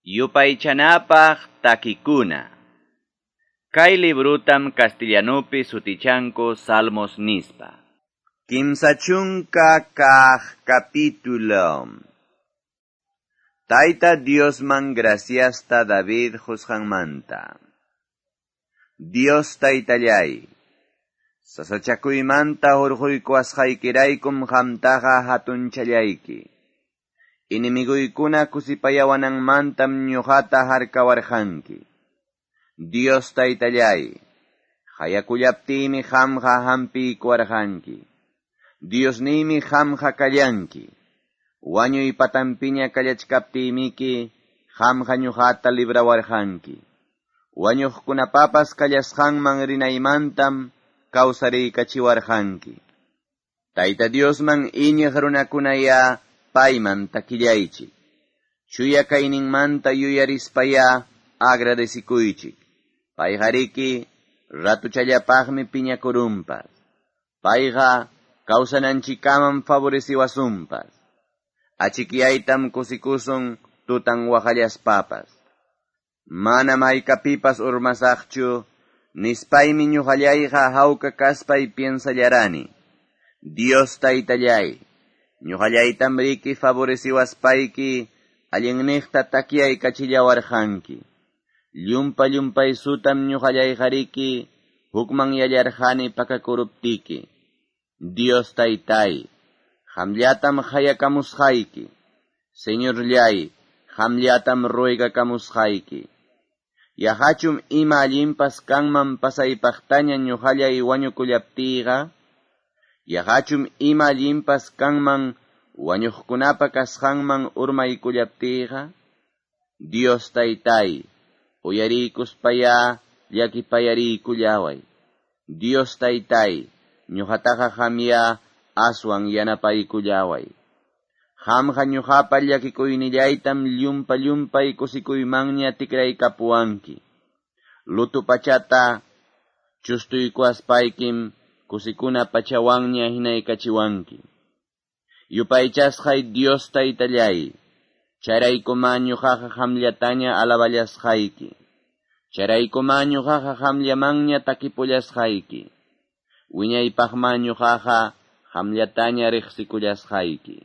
Yupaychanapaq takikuna. Kay librutam castellanupi sutichanku Salmos nispa. 30 kaq capítulo. Tayta Diosman graciasta David qusqanmanta. Dios taytallay, sasachakuymanta hurquykuwasqaykiraykum qamtaqa hatunchallayki. Enemiguykuna kusipayawananmantam ñuqata harkawarqanki. Dios taytallay, hayakullaptiymi qamqa hampiykuwarqanki. Diosniymi qamqa kallanki. Wañuy patampiña kallachkaptiymiki qamqa ñuqata librawarqanki. Wañuqkunapapas kallasqanman rinaymantam kawsariykachiwarqanki. Tayta Diosman iñiq runakunaya payman takillaychik. Chuya kayninmanta yuyarispaya agradecikuychik. Payqariki ratuchallapaqmi piñakurunpas. Payqa kawsananchikkaman favoreciwasunpas. Achikyaytam kusikusun tutan waqallaspapas. Manam haykapipas urmasaqchu, nispaymi ñuqallayqa hawka kaspay piensallarani. Dios taytallay, ñuqallaytam riki favoreciwaspayki, allinniqta takyaykachillawarqanki. Llumpa llumpaysutam ñuqallayqariki, hukman yallarqani pakakuruptiki. Dios taytay, qamllatam qayakamusqayki. Señorllay, qamllatam ruegakamusqayki. Yaqachum ima allinpas kanman pasaypaqtaña ñuqallay wañukullaptiyqa? Yaqachum ima allinpas kanman wañuqkunapa kasqanman urmaykullaptiyqa? Dios taytay, uyariykuspaya llakipayariykullaway. Dios taytay, ñuqataqa qamya aswan yanapaykullaway. Qamqa ñuqapa llakikuynillaytam llumpa llumpay kusikuymanña tikraykapuwanki. Lutu pachata chustuykuwaspaykim kusikuna pachawanña hinaykachiwanki. Yupaychasqay Dios taytallay, chayraykuma ñuqaqa qamllataña alaballasqayki. Chayraykuma ñuqaqa qamllamanña takipullasqayki. Wiñaypaqma ñuqaqa qamllataña riqsikullasqayki.